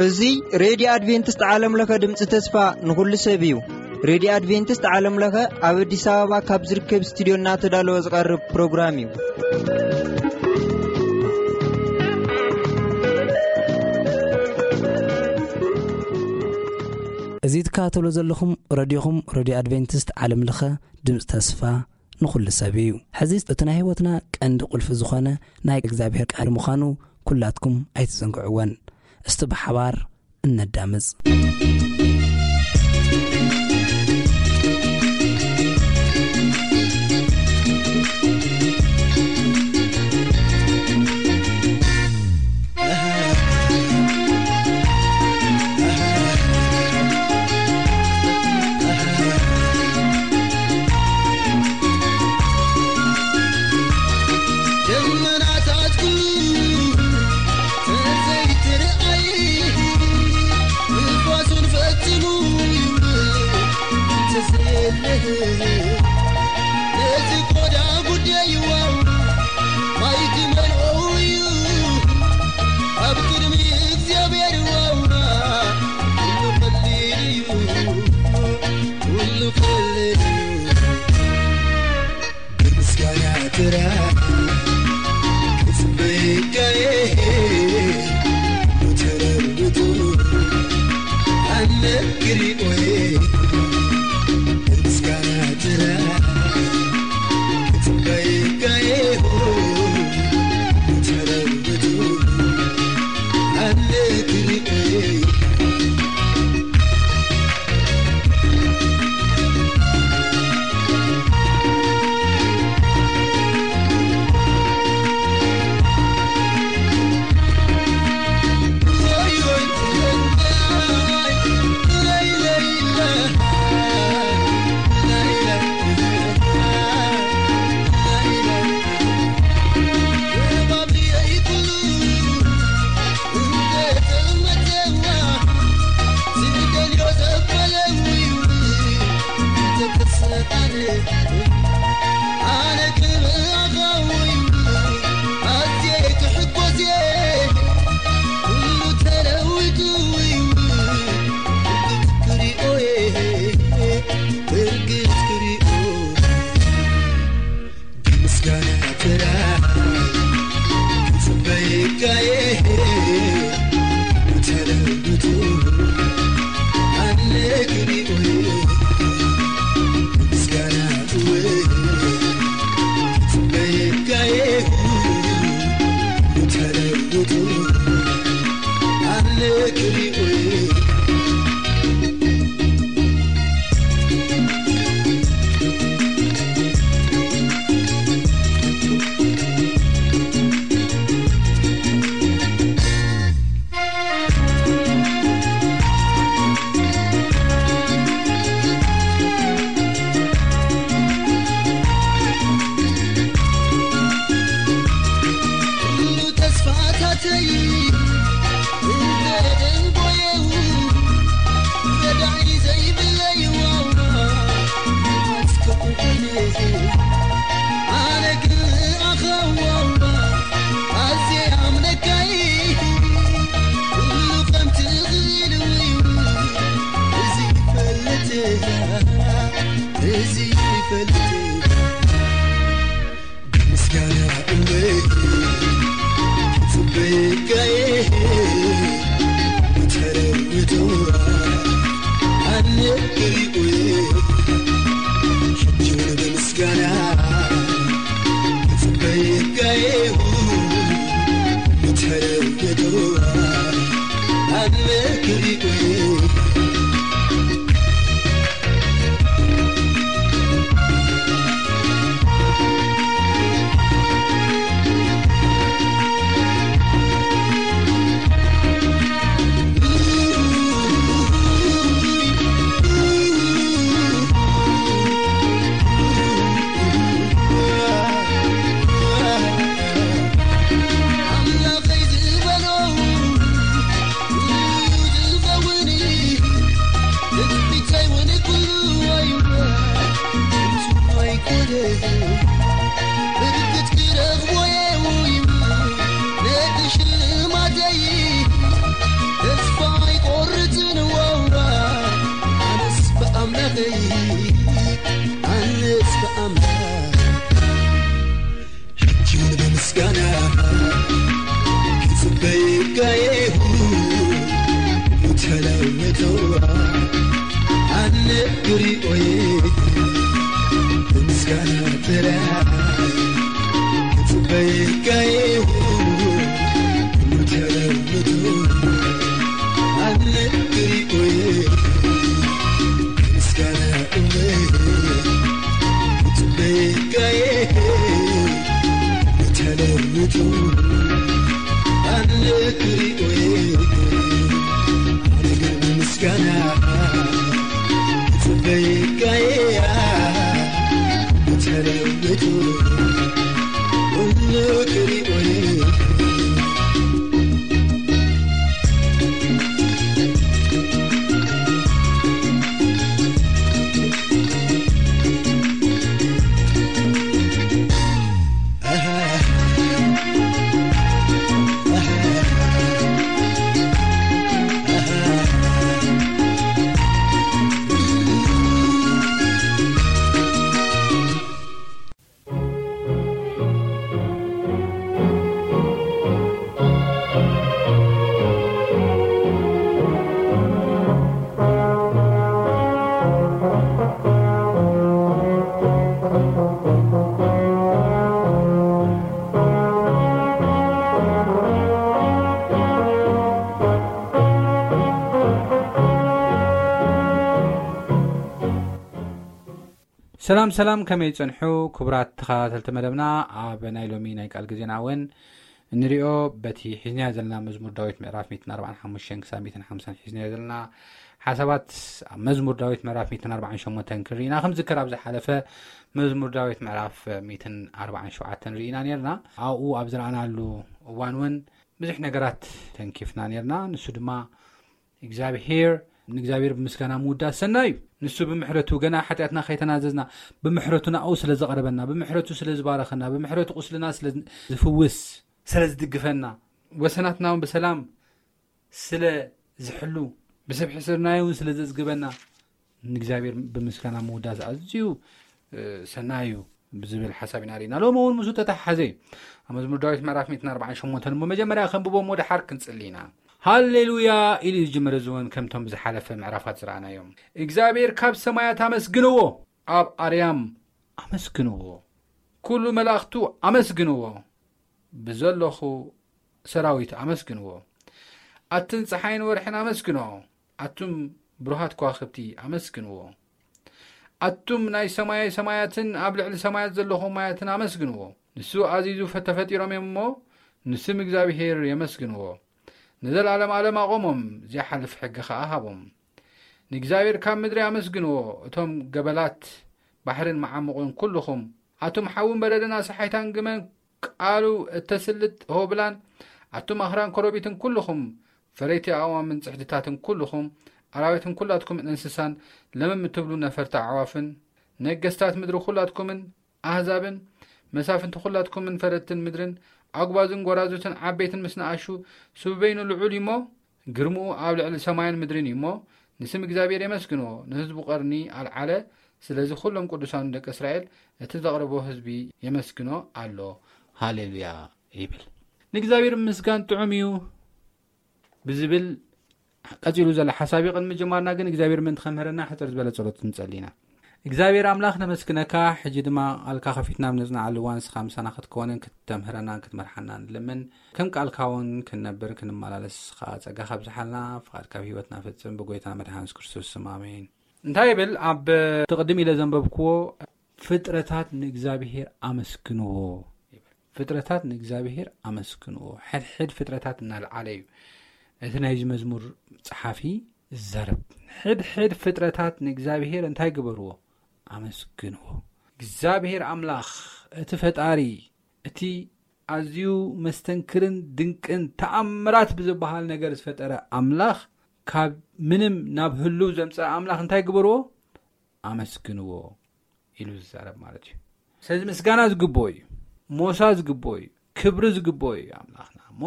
እዚ ሬድዮ ኣድቬንቲስት ዓለም ለኸ ድምፂ ተስፋ ንኹሉ ሰብ እዩ። ሬድዮ ኣድቬንቲስት ዓለም ለኸ ኣብ ኣዲስ ኣበባ ካብ ዝርከብ ስቱዲዮ እናተዳለወ ዝቐርብ ፕሮግራም እዩ። እዚ ትከታተሉ ዘለኹም ረድዮኹም፣ ረድዮ ኣድቬንቲስት ዓለም ለኸ ድምፂ ተስፋ ንኹሉ ሰብ እዩ። ሕዚ እቲ ናይ ህይወትና ቀንዲ ቁልፊ ዝኾነ ናይ እግዚኣብሔር ቃል ምዃኑ ኩላትኩም ኣይትዘንግዕወን። እስቲ ብሓባር እነዳምጽ። ደመናታት ኩሉ ተዘይትርኣይ፣ ንፋሱን ፈጽሙ ይውል ተዘየለ። ነዚ ቆዳ ጉዳይ ዋው ማይ ክመልኦ እዩ ኣብ ቅድሚ እግዚኣብሔር ዋውና። ኩሉ ቀሊል እዩ፣ ኩሉ ቀሊል እዩ። ብምስጋና ጥራይ ክጽበየካየ ተለውጡ ኣነ ክሪኦየ። ብምስጋና ጥራይ ክጽበየካየ ተለውጡ ኣነ ክሪኦየ። ብምስጋና ጥራይ ክጽበየካየ ተለውጡ ኣነ ክሪኦየ። ብምስጋና እወ ክጽበየካየ ተለውጡ ኣነ ክሪኦየ። ኩሉ ተስፋታተይ እንተደንጎየው ረዳኢ ዘይብለይ ዋውና ኣስከቁ ኣነ ግን ኣኻ ዋውና ኣዝየ ኣምነካይ ኩሉ ከም ትኽእል እዩ እዚ ይፈልጥ እዚ ይፈልጥ ብምስጋና እወ ክጽበየካየ ተለውጡ ኣነ ክሪኦየ። ሕጂ እውን ብምስጋና ክጽበየካየ ተለውጡ ኣነ ክሪኦየ። ኣምላኸይ ኣነስ ብኣምላኽ ሕጂ እውን ብምስጋና ክጽበየካ እየ። ተለውጦ ኣነ ክሪኦ እየ ብምስጋና ጥራይ ክጽበየካ እየ። ተለውጦ ኣነ ክሪኦ እየ ምስጋና እውነት ክጽበየካ እየ። ተለውጦ ኣነ ክሪኦ እየ። ኣነ ግን ብምስጋና ክጽበየካ እየ። ተለውጦ ኣነ ክሪኦ እየ። ሰላም ሰላም፣ ከመይ ጸንሑ ክቡራት ተኸታተልቲ መደብና? ኣብ ናይ ሎሚ ናይ ቃል ግዜና እውን እንሪኦ በቲ ሒዝናዮ ዘለና መዝሙር ዳዊት ምዕራፍ ሚእትን ኣርባዓን ሓሙሽተን ክሳብ ሚእትን ሓምሳን ሒዝናዮ ዘለና ሓሳባት ኣብ መዝሙር ዳዊት ምዕራፍ ሚእትን ኣርባዓን ሸሞንተን ክንርኢ ኢና። ከም ዝከር ኣብ ዝሓለፈ መዝሙር ዳዊት ምዕራፍ ሚእትን ኣርባዓን ሸውዓተን ርኢና ነርና። ኣብኡ ኣብ ዝረኣናሉ እዋን እውን ብዙሕ ነገራት ተንኪፍና ነርና። ንሱ ድማ እግዚኣብሄር ንእግዚኣብሔር ብምስጋና ምውዳስ ሰናይ እዩ። ንሱ ብምሕረቱ ገና ሓጢኣትና ከይተናዘዝና ብምሕረቱ ናብኡ ስለ ዘቐረበና፣ ብምሕረቱ ስለ ዝባረኸና፣ ብምሕረቱ ቁስልና ስለ ዝፍውስ፣ ስለ ዝድግፈና፣ ወሰናትና እውን ብሰላም ስለ ዝሕሉ፣ ብሰብ ሕስርናዮ እውን ስለ ዘዝግበና ንእግዚኣብሔር ብምስጋና ምውዳስ ኣዝዩ ሰናይ እዩ ብዝብል ሓሳብ ኢና ርኢና። ሎም እውን ምስኡ ተተሓሓዘ እዩ። ኣብ መዝሙር ዳዊት ምዕራፍ ሚእትን ኣርባዓን ሸሞንተን እሞ መጀመርያ ከንብቦ እሞ ደሓር ክንጽሊ ኢና። ሃሌሉያ ኢሉ እዩ ዝጅምር። እዚ እውን ከምቶም ብዝሓለፈ ምዕራፋት ዝረኣናዮም እግዚኣብሔር ካብ ሰማያት ኣመስግንዎ፣ ኣብ ኣርያም ኣመስግንዎ፣ ኩሉ መላእኽቱ ኣመስግንዎ፣ ብዘለኹ ሰራዊት ኣመስግንዎ። ኣትን ፀሓይን ወርሕን ኣመስግንዎ፣ ኣቱም ብሩሃት ከዋኽብቲ ኣመስግንዎ። ኣቱም ናይ ሰማይ ሰማያትን ኣብ ልዕሊ ሰማያት ዘለኹ ማያትን ኣመስግንዎ። ንሱ ኣዚዙ ተፈጢሮም እዮም እሞ ንስም እግዚኣብሄር የመስግንዎ። ንዘለዓለም ዓለም ኣቖሞም፣ ዘይሓልፍ ሕጊ ኸዓ ሃቦም። ንእግዚኣብሔር ካብ ምድሪ ኣመስግንዎ፣ እቶም ገበላት ባሕርን መዓሙቕን ኩልኹም፣ ኣቱም ሓውን በረድን ኣስሓይታን ግመን ቃሉ እተስልጥ ሆብላን፣ ኣቱም ኣኽራን ኮረቢትን ኩልኹም፣ ፈረይቲ ኣእዋምን ጽሕድታትን ኩልኹም፣ ኣራዊትን ኩላትኩም እንስሳን ለምም እትብሉ ነፈርቲ ኣዕዋፍን፣ ነገስታት ምድሪ ኩላትኩምን ኣህዛብን፣ መሳፍንቲ ኩላትኩምን ፈረድትን ምድርን፣ ኣጉባዝን ጐራዙትን ዓበይትን ምስ ንኣሹ፣ ስቡበይኑ ልዑል እዩ እሞ፣ ግርምኡ ኣብ ልዕሊ ሰማይን ምድርን እዩ እሞ፣ ንስም እግዚኣብሔር የመስግንዎ፣ ንህዝቡ ቀርኒ ኣልዓለ። ስለዚ ኩሎም ቅዱሳኑ ደቂ እስራኤል እቲ ዘቕረቦ ህዝቢ የመስግኖ ኣሎ። ሃሌሉያ ይብል። ንእግዚኣብሔር ምስጋን ጥዑም እዩ ብዝብል ቀጺሉ ዘሎ ሓሳብ እዩ። ቅድሚ ምጅማርና ግን እግዚኣብሔር ምእንቲ ከምህረና ሕጽር ዝበለ ጸሎት ንጸሊ ኢና። እግዚኣብሔር ኣምላኽ ነመስግነካ። ሕጂ ድማ ቃልካ ከፊትና ኣብ ነጽንዓሉ እዋን ንስኻ ምሳና ክትከወንን ክተምህረናን ክትመርሓና ንልምን። ከም ቃልካ እውን ክንነብር ክንመላለስ ኸዓ ጸጋ ካብዝሓልና። ፍቓድካ ኣብ ህይወትና ፈጽም። ብጎይታና መድሓን የሱስ ክርስቶስ ስም ኣሜን። እንታይ ይብል? ኣብ ትቕድም ኢለ ዘንበብክዎ ፍጥረታት ንእግዚኣብሔር ኣመስግንዎ ይብል። ፍጥረታት ንእግዚኣብሔር ኣመስግንዎ። ሕድሕድ ፍጥረታት እናልዓለ እዩ እቲ ናይዚ መዝሙር ጸሓፊ ዝዛረብ። ሕድሕድ ፍጥረታት ንእግዚኣብሔር እንታይ ግበርዎ? ኣመስግንዎ። እግዚኣብሔር ኣምላኽ እቲ ፈጣሪ፣ እቲ ኣዝዩ መስተንክርን ድንቅን ተኣምራት ብዝበሃል ነገር ዝፈጠረ ኣምላኽ፣ ካብ ምንም ናብ ህሉው ዘምፀአ ኣምላኽ እንታይ ግበርዎ? ኣመስግንዎ ኢሉ ዝዛረብ ማለት እዩ። ስለዚ ምስጋና ዝግብኦ እዩ፣ ሞሳ ዝግብኦ እዩ፣ ክብሪ ዝግብኦ እዩ ኣምላኽና። እሞ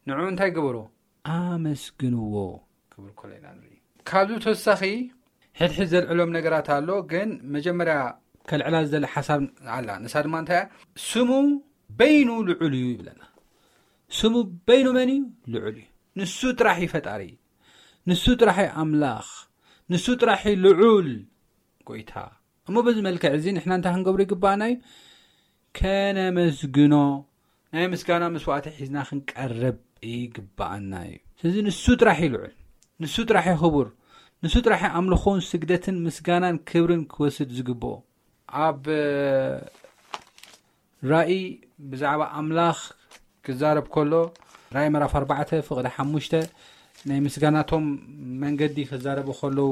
ንዑ እንታይ ግበሮ? ኣመስግንዎ ክብል ከሎ ኢና ንርኢ። ካብዚ ተወሳኺ ሕድሕድ ዘልዕሎም ነገራት ኣሎ፣ ግን መጀመርያ ከልዕላ ዝደሊ ሓሳብ ኣላ። ንሳ ድማ እንታይ እያ? ስሙ በይኑ ልዑል እዩ ይብለና። ስሙ በይኑ መን እዩ? ልዑል እዩ። ንሱ ጥራሕ እዩ ፈጣሪ፣ ንሱ ጥራሕ እዩ ኣምላኽ፣ ንሱ ጥራሕ እዩ ልዑል ጎይታ። እሞ በዚ መልክዕ እዚ ንሕና እንታይ ክንገብሩ ይግባኣና እዩ? ከነመስግኖ፣ ናይ ምስጋና መስዋዕቲ ሒዝና ክንቀርብ ይግባኣና እዩ። ስለዚ ንሱ ጥራሕ እዩ ልዑል፣ ንሱ ጥራሕ እዩ ክቡር፣ ንሱ ጥራሕ እዩ ኣምልኾን ስግደትን ምስጋናን ክብርን ክወስድ ዝግብኦ። ኣብ ራእይ ብዛዕባ ኣምላኽ ክዛረብ ከሎ፣ ራእይ ምዕራፍ ኣርባዕተ ፍቕዲ ሓሙሽተ ናይ ምስጋናቶም መንገዲ ክዛረቡ ከለዉ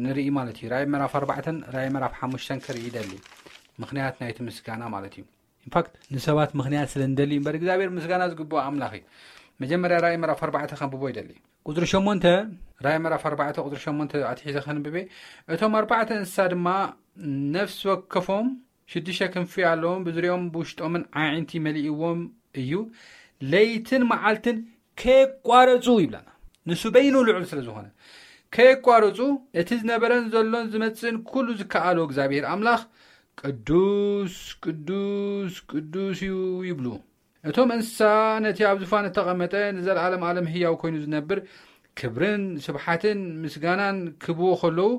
ንርኢ ማለት እዩ። ራእይ ምዕራፍ ኣርባዕተን ራእይ ምዕራፍ ሓሙሽተን ክርኢ ይደሊ፣ ምኽንያት ናይቲ ምስጋና ማለት እዩ። ኢንፋክት ንሰባት ምኽንያት ስለ እንደሊ እምበር እግዚኣብሔር ምስጋና ዝግብኦ ኣምላኽ እዩ። መጀመርያ ራእይ ምዕራፍ ኣርባዕተ ከንብቦ ይደሊ። ቁፅሪ ሸሞንተ፣ ራእይ ምዕራፍ ኣርባዕተ ቁፅሪ ሸሞንተ ኣትሒዘ ከንብቤ። እቶም ኣርባዕተ እንስሳ ድማ ነፍሲ ወከፎም ሽዱሽተ ክንፊ ኣለዎም፣ ብዙሪኦም ብውሽጦምን ኣዒንቲ መሊእዎም እዩ። ለይትን መዓልትን ከየቋረፁ ይብለና። ንሱ በይኑ ልዑል ስለ ዝኾነ ከየቋረፁ እቲ ዝነበረን ዘሎን ዝመፅእን ኩሉ ዝከኣሎ እግዚኣብሔር ኣምላኽ ቅዱስ ቅዱስ ቅዱስ እዩ ይብሉ። እቶም እንስሳ ነቲ ኣብ ዙፋን እተቐመጠ ንዘለዓለም ዓለም ህያው ኮይኑ ዝነብር ክብርን ስብሓትን ምስጋናን ክብዎ ከለዉ፣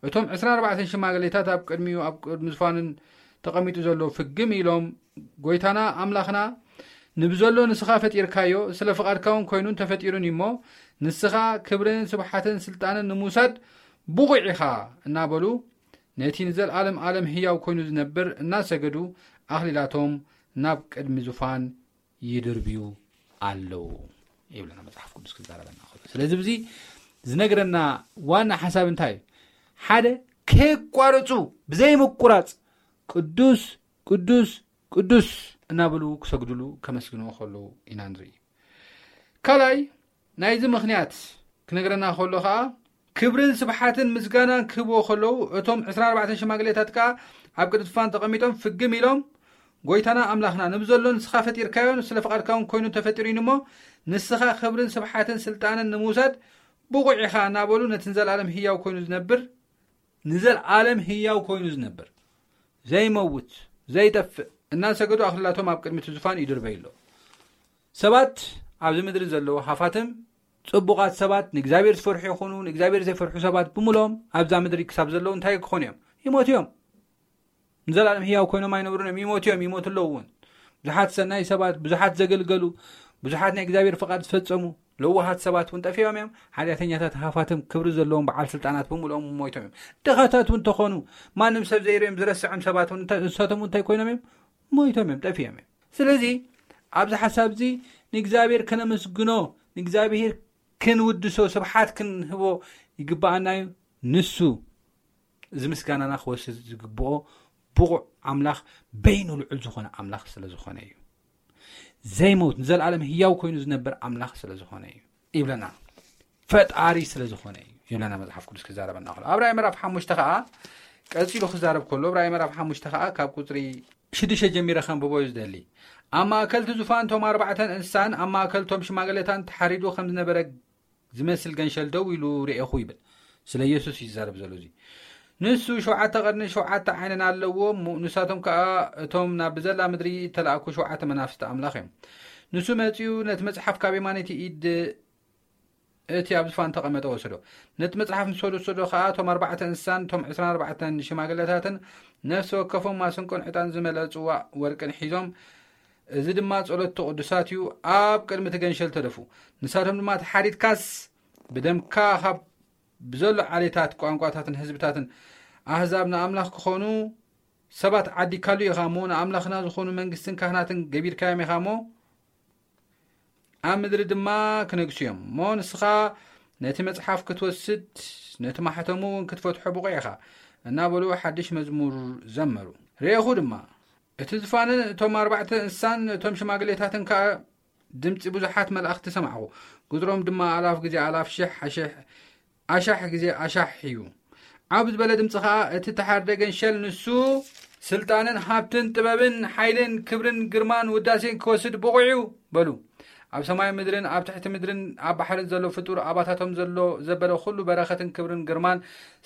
እቶም ዕስራን ኣርባዕተን ሽማግሌታት ኣብ ቅድሚኡ ኣብ ቅድሚ ዙፋንን ተቐሚጡ ዘሎ ፍግም ኢሎም፣ ጎይታና ኣምላኽና፣ ንብዘሎ ንስኻ ፈጢርካዮ፣ ስለ ፍቓድካ እውን ኮይኑን ተፈጢሩን እዩ እሞ፣ ንስኻ ክብርን ስብሓትን ስልጣንን ንምውሳድ ብቑዕ ኢኻ እናበሉ፣ ነቲ ንዘለዓለም ዓለም ህያው ኮይኑ ዝነብር እናሰገዱ ኣኽሊላቶም ናብ ቅድሚ ዙፋን ይድርብዩ ኣለዉ ይብለና መጽሓፍ ቅዱስ ክዛረበና ከሎ። ስለዚ ብዚ ዝነግረና ዋና ሓሳብ እንታይ እዩ? ሓደ ከየቋረጹ ብዘይ ምቁራጽ ቅዱስ ቅዱስ ቅዱስ እናበሉ ክሰግድሉ ከመስግንዎ ከለዉ ኢና ንርኢ። ካልኣይ ናይዚ ምኽንያት ክነግረና ከሎ ኸዓ ክብርን ስብሓትን ምስጋናን ክህብዎ ከለዉ እቶም ዕስራን ኣርባዕተን ሽማግሌታት ከኣ ኣብ ቅድሚ ዙፋን ተቐሚጦም ፍግም ኢሎም ጎይታና ኣምላኽና ንብዘሎ ንስኻ ፈጢርካዮ ስለ ፍቓድካ እውን ኮይኑ ተፈጢሩ እዩ እሞ ንስኻ ክብርን ስብሓትን ስልጣንን ንምውሳድ ብቑዕ ኢኻ እናበሉ ነቲ ንዘለኣለም ህያው ኮይኑ ዝነብር ንዘለኣለም ህያው ኮይኑ ዝነብር ዘይመውት ዘይጠፍእ እናሰገዱ ኣኽልላቶም ኣብ ቅድሚ እቲ ዙፋን ይድርበዩ ኣለዉ። ሰባት ኣብዚ ምድሪ ዘለዉ ሃፋትም ጽቡቓት ሰባት ንእግዚኣብሔር ዝፈርሑ ይኹኑ ንእግዚኣብሔር ዘይፈርሑ ሰባት ብምሎም ኣብዛ ምድሪ ክሳብ ዘለዉ እንታይ ክኾኑ እዮም? ይሞቱ እዮም። ንዘለኣለም ህያው ኮይኖም ኣይነብሩን እዮም። ይሞቱ እዮም፣ ይሞቱ ኣለዉ እውን። ብዙሓት ሰናይ ሰባት፣ ብዙሓት ዘገልገሉ፣ ብዙሓት ናይ እግዚኣብሔር ፍቓድ ዝፈጸሙ ለዋሃት ሰባት እውን ጠፊኦም እዮም። ሓጢኣተኛታት ሃፋትም ክብሪ ዘለዎም በዓል ስልጣናት ብምልኦም ሞይቶም እዮም። ድኻታት እውን ተኾኑ ማንም ሰብ ዘይርእዮም ዝረስዖም ሰባት እውን እንታይ- ንሳቶም እውን እንታይ ኮይኖም እዮም? ሞይቶም እዮም፣ ጠፊኦም እዮም። ስለዚ ኣብዚ ሓሳብ እዚ ንእግዚኣብሔር ከነመስግኖ፣ ንእግዚኣብሔር ክንውድሶ፣ ስብሓት ክንህቦ ይግብኣና እዩ። ንሱ እዚ ምስጋናና ክወስድ ዝግብኦ ብቑዕ ኣምላኽ በይኑ ልዑል ዝኾነ ኣምላኽ ስለ ዝኾነ እዩ። ዘይመውት ንዘለኣለም ህያው ኮይኑ ዝነብር ኣምላኽ ስለ ዝኾነ እዩ ይብለና። ፈጣሪ ስለ ዝኾነ እዩ ይብለና መጽሓፍ ቅዱስ ክዛረበና ከሎ ኣብ ራእይ ምዕራፍ ሓሙሽተ ከዓ ቀጺሉ ክዛረብ ከሎ ኣብ ራእይ ምዕራፍ ሓሙሽተ ከዓ ካብ ቁፅሪ ሽዱሽተ ጀሚረ ከንብቦ እዩ ዝደሊ። ኣብ ማእከል እቲ ዙፋን እቶም ኣርባዕተን እንስሳን ኣብ ማእከል እቶም ሽማግሌታን ተሓሪዱ ከም ዝነበረ ዝመስል ገንሸል ደው ኢሉ ርኤኹ ይብል። ስለ ኢየሱስ እዩ ዝዛረብ ዘሎ እዚ። ንሱ ሸውዓተ ቀርኒ ሸውዓተ ዓይንን ኣለዎ። ሙ- ንሳቶም ከኣ እቶም ናብ ብዘላ ምድሪ እተላእኩ ሸውዓተ መናፍስቲ ኣምላኽ እዮም። ንሱ መጺኡ ነቲ መጽሓፍ ካብ የማነይቲ ኢድ እቲ ኣብ ዝፋን ተቐመጠ ወሰዶ። ነቲ መጽሓፍ ምስ ወሰዶ ከኣ እቶም ኣርባዕተ እንስሳን እቶም ዕስራን ኣርባዕተን ሽማግለታትን ነፍሲ ወከፎም ማስንቆን ዕጣን ዝመልአ ጽዋእ ወርቅን ሒዞም፣ እዚ ድማ ጸሎት እቲ ቅዱሳት እዩ፣ ኣብ ቅድሚ እቲ ገንሸል ተደፉ። ንሳቶም ድማ ተሓሪድካስ ብደምካ ካብ ብዘሎ ዓሌታት ቋንቋታትን ህዝብታትን ኣህዛብ ንኣምላኽ ክኾኑ ሰባት ዓዲካሉ ኢኻ እሞ ንኣምላኽና ዝኾኑ መንግስትን ካህናትን ገቢርካዮም ኢኻ እሞ ኣብ ምድሪ ድማ ክነግሱ እዮም እሞ ንስኻ ነቲ መጽሓፍ ክትወስድ ነቲ ማሕተሙ እውን ክትፈትሖ ብቑዕ ኢኻ እናበሉ ሓድሽ መዝሙር ዘመሩ። ርኤኹ ድማ እቲ ዝፋንን እቶም ኣርባዕተ እንስሳን እቶም ሽማግሌታትን ከኣ ድምጺ ብዙሓት መላእኽቲ ሰማዕኹ። ቁጽሮም ድማ ኣላፍ ግዜ ኣላፍ ሽሕ ኣሽሕ ኣሻሕ ግዜ ኣሻሕ እዩ። ዓብ ዝበለ ድምጺ ኸኣ እቲ ተሓርደ ገንሸል ንሱ ስልጣንን ሃብትን ጥበብን ሓይልን ክብርን ግርማን ውዳሴን ክወስድ ብቑዕ እዩ በሉ። ኣብ ሰማይ ምድርን ኣብ ትሕቲ ምድርን ኣብ ባሕርን ዘሎ ፍጡር፣ ኣባታቶም ዘሎ ዘበለ ኩሉ በረኸትን ክብርን ግርማን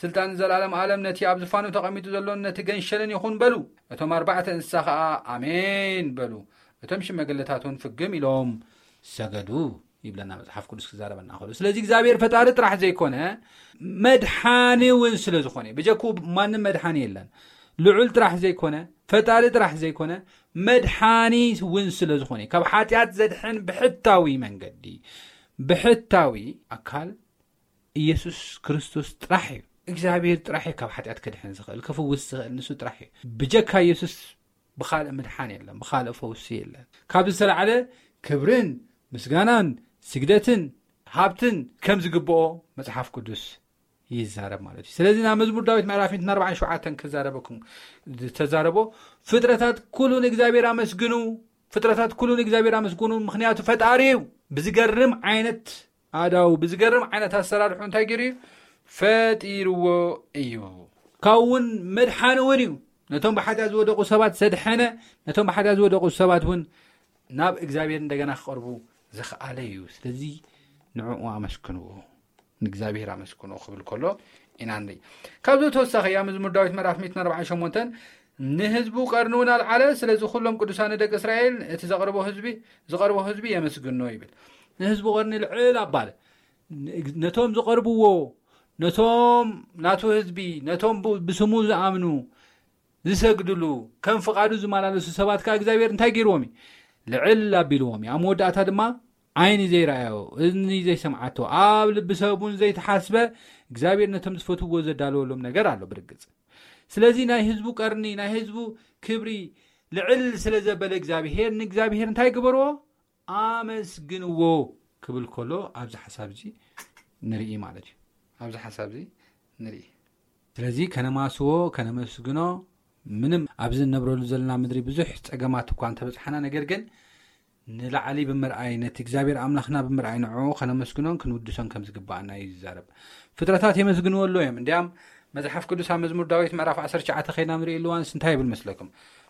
ስልጣንን ዘላለም ዓለም ነቲ ኣብ ዝፋኑ ተቐሚጡ ዘሎን ነቲ ገንሸልን ይኹን በሉ። እቶም ኣርባዕተ እንስሳ ኸኣ ኣሜን በሉ። እቶም ሽመግለታት እውን ፍግም ኢሎም ሰገዱ ይብለና መጽሓፍ ቅዱስ ክዛረበና ከሎ። ስለዚ እግዚኣብሔር ፈጣሪ ጥራሕ ዘይኮነ መድሓኒ እውን ስለ ዝኾነ፣ ብጀክኡ ማንም መድሓኒ የለን። ልዑል ጥራሕ ዘይኮነ፣ ፈጣሪ ጥራሕ ዘይኮነ፣ መድሓኒ እውን ስለ ዝኾነ፣ ካብ ሓጢኣት ዘድሕን ብሕታዊ መንገዲ፣ ብሕታዊ ኣካል ኢየሱስ ክርስቶስ ጥራሕ እዩ። እግዚኣብሔር ጥራሕ እዩ ካብ ሓጢኣት ከድሕን ዝኽእል፣ ክፍውስ ዝኽእል ንሱ ጥራሕ እዩ። ብጀካ ኢየሱስ ብኻልእ ምድሓን የለን፣ ብኻልእ ፈውሲ የለን። ካብ ዝተላዕለ ክብርን ምስጋናን ስግደትን ሃብትን ከም ዝግብኦ መጽሓፍ ቅዱስ ይዛረብ ማለት እዩ። ስለዚ ናብ መዝሙር ዳዊት ምዕራፍ ሚእትን ኣርባዓን ሸውዓተን ክዛረበኩም ዝተዛረቦ፣ ፍጥረታት ኩሉ ንእግዚኣብሔር ኣመስግኑ፣ ፍጥረታት ኩሉ ንእግዚኣብሔር ኣመስግኑ፣ ምኽንያቱ ፈጣሪ እዩ። ብዝገርም ዓይነት ኣዳው፣ ብዝገርም ዓይነት ኣሰራርሑ እንታይ ገይሩ እዩ? ፈጢርዎ እዩ። ካብኡ እውን መድሓኒ እውን እዩ። ነቶም ብሓጢኣት ዝወደቑ ሰባት ዘድሐነ፣ ነቶም ብሓጢኣት ዝወደቑ ሰባት እውን ናብ እግዚኣብሔር እንደገና ክቐርቡ ዝኸኣለ እዩ። ስለዚ ንዕኡ ኣመስግንዎ፣ ንእግዚኣብሔር ኣመስግንዎ ክብል ከሎ ኢና ንርኢ። ካብዚ ተወሳኺ እያ መዝሙር ዳዊት ምዕራፍ ሚእትን ኣርባዓን ሸሞንተን፣ ንህዝቡ ቀርኒ እውን ኣልዓለ፣ ስለዚ ኩሎም ቅዱሳን ደቂ እስራኤል እቲ ዘቕርቦ ህዝቢ፣ ዝቐርቦ ህዝቢ የመስግኖ ይብል። ንህዝቡ ቀርኒ ልዕል ኣባለ፣ ን-፣ ነቶም ዝቐርብዎ፣ ነቶም ናቱ ህዝቢ፣ ነቶም ብ-፣ ብስሙ ዝኣምኑ፣ ዝሰግድሉ፣ ከም ፍቓዱ ዝመላለሱ ሰባት ከኣ እግዚኣብሔር እንታይ ገይርዎም እዩ? ልዕል ኣቢልዎም እዩ። ኣብ መወዳእታ ድማ ዓይኒ ዘይረኣዮ፣ እዝኒ ዘይሰምዓቶ፣ ኣብ ልቢ ሰብ እውን ዘይተሓስበ፣ እግዚኣብሔር ነቶም ዝፈትውዎ ዘዳለወሎም ነገር ኣሎ ብርግጽ። ስለዚ ናይ ህዝቡ ቀርኒ፣ ናይ ህዝቡ ክብሪ ልዕል ስለ ዘበለ እግዚኣብሔር፣ ንእግዚኣብሔር እንታይ ግበርዎ? ኣመስግንዎ ክብል ከሎ ኣብዚ ሓሳብ እዚ ንርኢ ማለት እዩ። ኣብዚ ሓሳብ እዚ ንርኢ። ስለዚ ከነማስዎ፣ ከነመስግኖ፣ ምንም ኣብዚ እንነብረሉ ዘለና ምድሪ ብዙሕ ጸገማት እኳ እንተበጽሓና፣ ነገር ግን ንላዕሊ ብምርኣይ፣ ነቲ እግዚኣብሔር ኣምላኽና ብምርኣይ፣ ንዕኡ ከነመስግኖን ክንውድሶን ከም ዝግባኣና እዩ ዝዛረብ። ፍጥረታት የመስግንዎ ኣሎ እዮም። እንዲያም መጽሓፍ ቅዱስ ኣብ መዝሙር ዳዊት ምዕራፍ ዓሰርተ ትሽዓተ ከይድና ንርእየሉ እዋንስ እንታይ ይብል መስለኩም?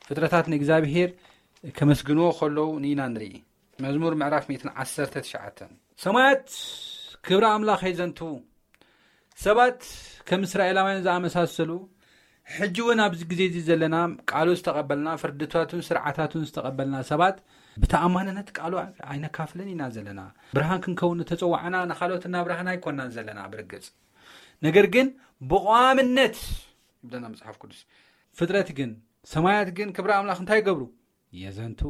ፍጥረታት ንእግዚኣብሔር ከመስግንዎ ከለዉ ንኢና ንርኢ። መዝሙር ምዕራፍ ሚእትን ዓሰርተ ትሽዓተን። ሰማያት ክብሪ ኣምላኽ የዘንትዉ። ሰባት ከም እስራኤላውያን ዝኣመሳሰሉ፣ ሕጂ እውን ኣብዚ ግዜ እዚ ዘለና፣ ቃሉ ዝተቐበልና፣ ፍርድታቱን ስርዓታቱን ዝተቐበልና ሰባት፣ ብተኣማንነት ቃሉ ኣይነካፍልን ኢና ዘለና። ብርሃን ክንከውን ዝተጸዋዕና ንኻልኦት እናብራህና ኣይኮናን ዘለና ብርግጽ። ነገር ግን ብቋምነት ይብለና መጽሓፍ ቅዱስ። ፍጥረት ግን፣ ሰማያት ግን ክብሪ ኣምላኽ እንታይ ይገብሩ? የዘንቱ።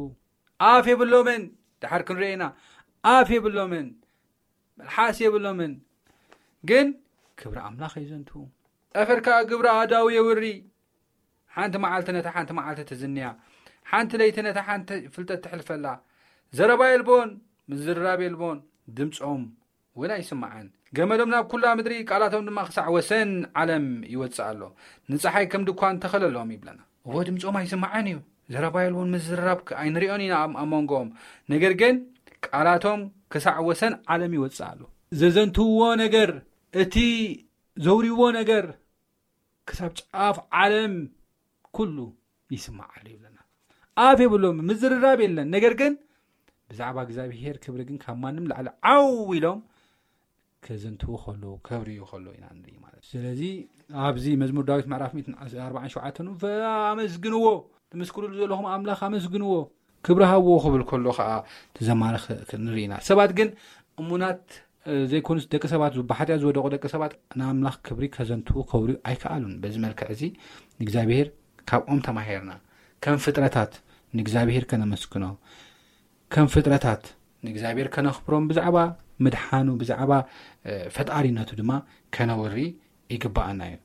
ኣፍ የብሎምን። ድሓር ክንሪኦ ኢና። ኣፍ የብሎምን። መልሓስ የብሎምን። ግን ክብሪ ኣምላኽ የዘንቱ። ጠፈር ከኣ ግብሪ ኣእዳዉ የውሪ። ሓንቲ መዓልቲ ነታ ሓንቲ መዓልቲ ትዝንያ። ሓንቲ ለይቲ ነታ ሓንቲ ፍልጠት ትሕልፈላ። ዘረባ የልቦን፣ ምዝርራብ የልቦን፣ ድምጾም እውን ኣይስማዕን። ገመሎም ናብ ኩላ ምድሪ፣ ቃላቶም ድማ ክሳዕ ወሰን ዓለም ይወጽእ ኣሎ። ንጸሓይ ከም ድኳን ተኸለሎም ይብለና። እወ፣ ድምጾም ኣይስማዕን እዩ። ዘረባ የልቦን፣ ምዝርራብ ከ-፣ ኣይንሪኦን ኢና ኣብ፣ ኣብ መንጎኦም። ነገር ግን ቃላቶም ክሳዕ ወሰን ዓለም ይወጽእ ኣሎ። ዘዘንትውዎ ነገር፣ እቲ ዘውርይዎ ነገር ክሳብ ጫፍ ዓለም ኩሉ ይስማዓሉ ይብለና። ኣፍ የብሎም፣ ምዝርራብ የለን። ነገር ግን ብዛዕባ እግዚኣብሄር ክብሪ ግን ካብ ማንም ላዕሊ ዓው ኢሎም ከዘንትዉ ከለዉ፣ ከብርዩ ከለዉ ኢና ንርኢ ማለት እዩ። ስለዚ ኣብዚ መዝሙር ዳዊት ምዕራፍ ሚእትን ኣርባዓን ሸውዓተን፣ "ኣመስግንዎ፣ ትምስክሩሉ ዘለኹም ኣምላኽ ኣመስግንዎ፣ ክብሪ ሃብዎ" ክብል ከሎ ኸዓ፣ እቲ ዘማሪ ኽ-፣ ኽ-፣ ንርኢ ኢና። ሰባት ግን እሙናት፣ እ፣ ዘይኮኑስ፣ ደቂ ሰባት፣ ብሓጢኣት ዝወደቑ ደቂ ሰባት ንኣምላኽ ክብሪ ከዘንትዉ፣ ከብርዩ ኣይከኣሉን። በዚ መልክዕ እዚ ንእግዚኣብሄር ካብኦም ተማሂርና። ከም ፍጥረታት ንእግዚኣብሄር ከነመስግኖ፣ ከም ፍጥረታት ንእግዚኣብሔር ከነኽብሮም፣ ብዛዕባ ምድሓኑ፣ ብዛዕባ፣ እ፣ ፈጣሪነቱ ድማ ከነውሪ ይግብኣና እዩ።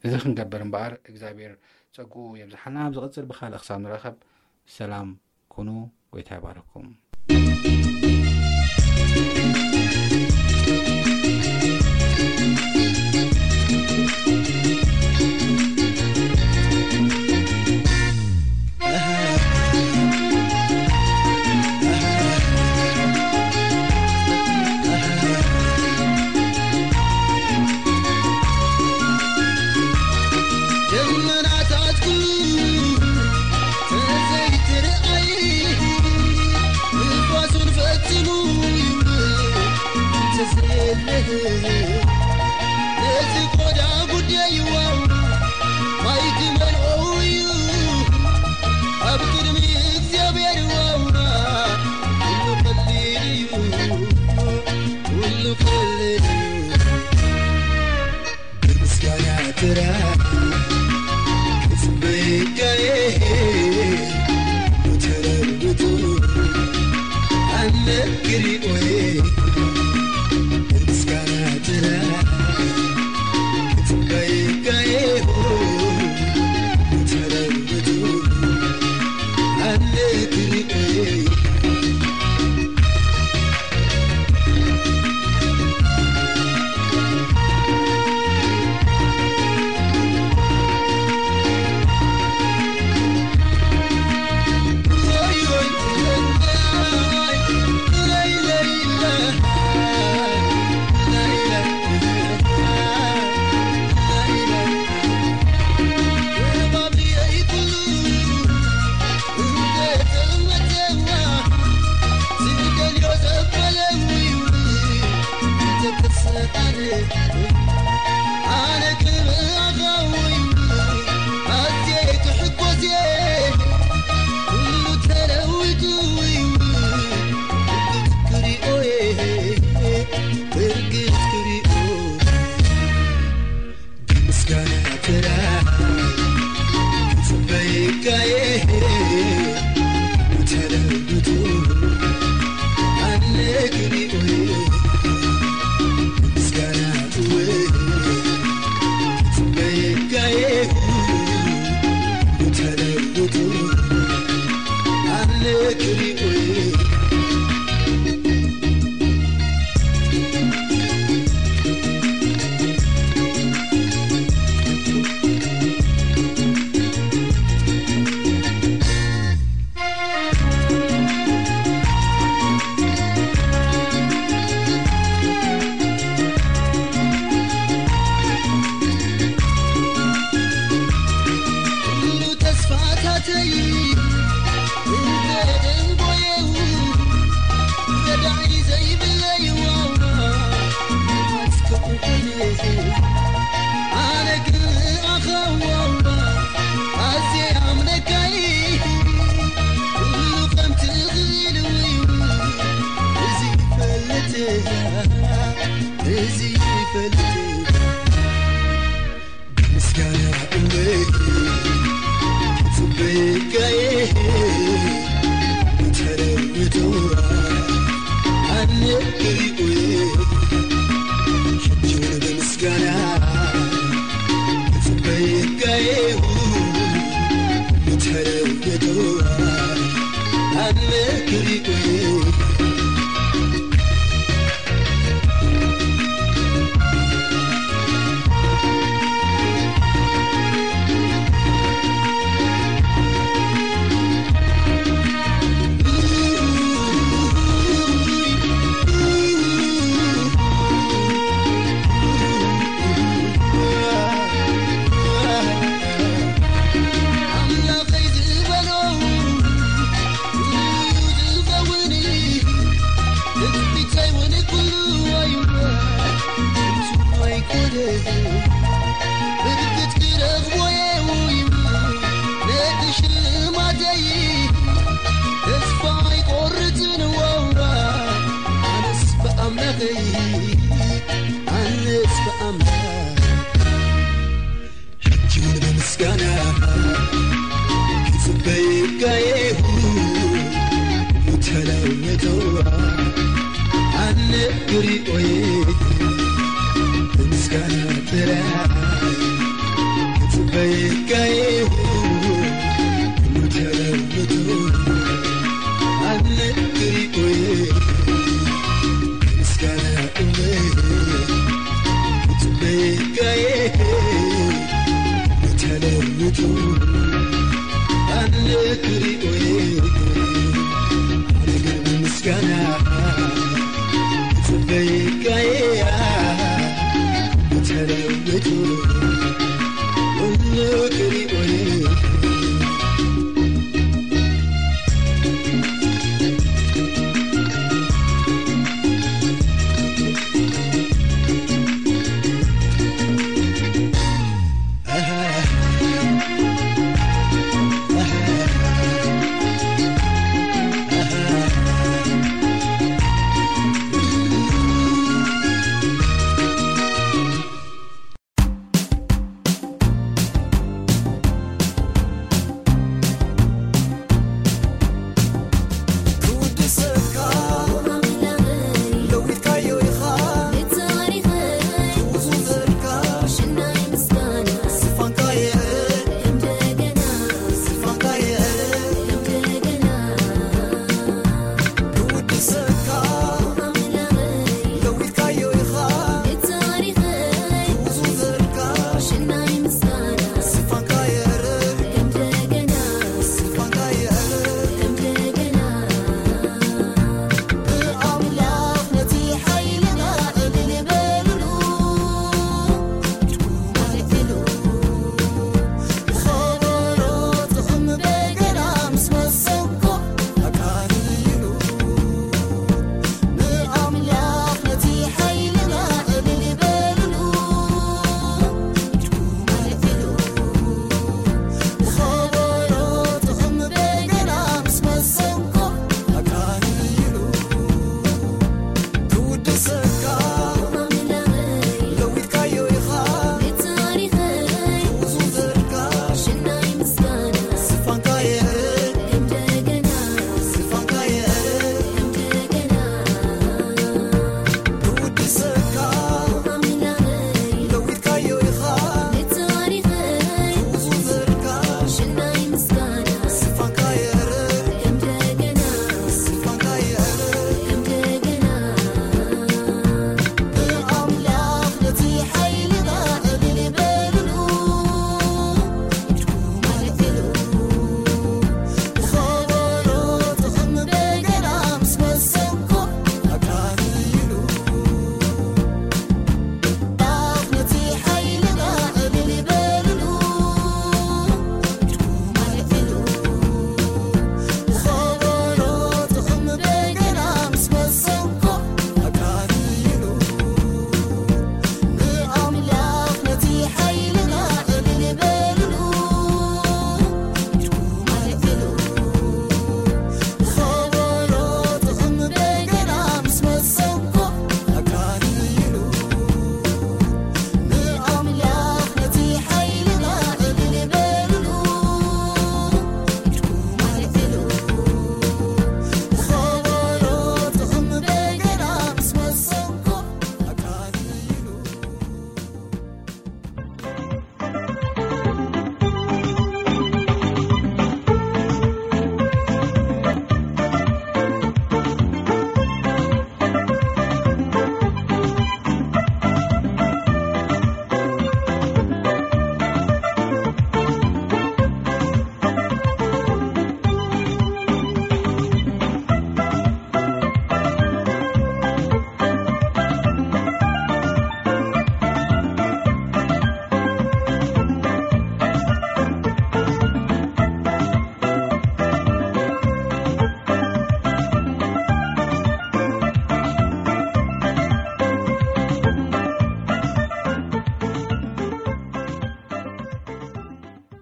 እዚ ክንገብር እምበኣር እግዚኣብሔር ጸግኡ የብዝሓልና። ኣብ ዝቕጽል ብኻልእ ክሳብ ንራኸብ ሰላም ኩኑ። ጎይታ ይባርኩም። ደመናታትኩ ተዘይትርኣይ፣ ንፋሱን ፈጺሙ ነዚ ቆዳ ጉዳይ ዋው ማይ ክመልኦ እዩ ኣብ ቅድሚ እግዚኣብሔር ዋው ኩሉ ቀሊል እዩ ኩሉ ቀሊል እዩ ብምስጋና ጥራ ክጽበይካየ ተረብቱ ኣነ ክሪኦየ ምስጋና ጥራ ክጽበይካየ ተረብቱ ኣነ ክሪኦየ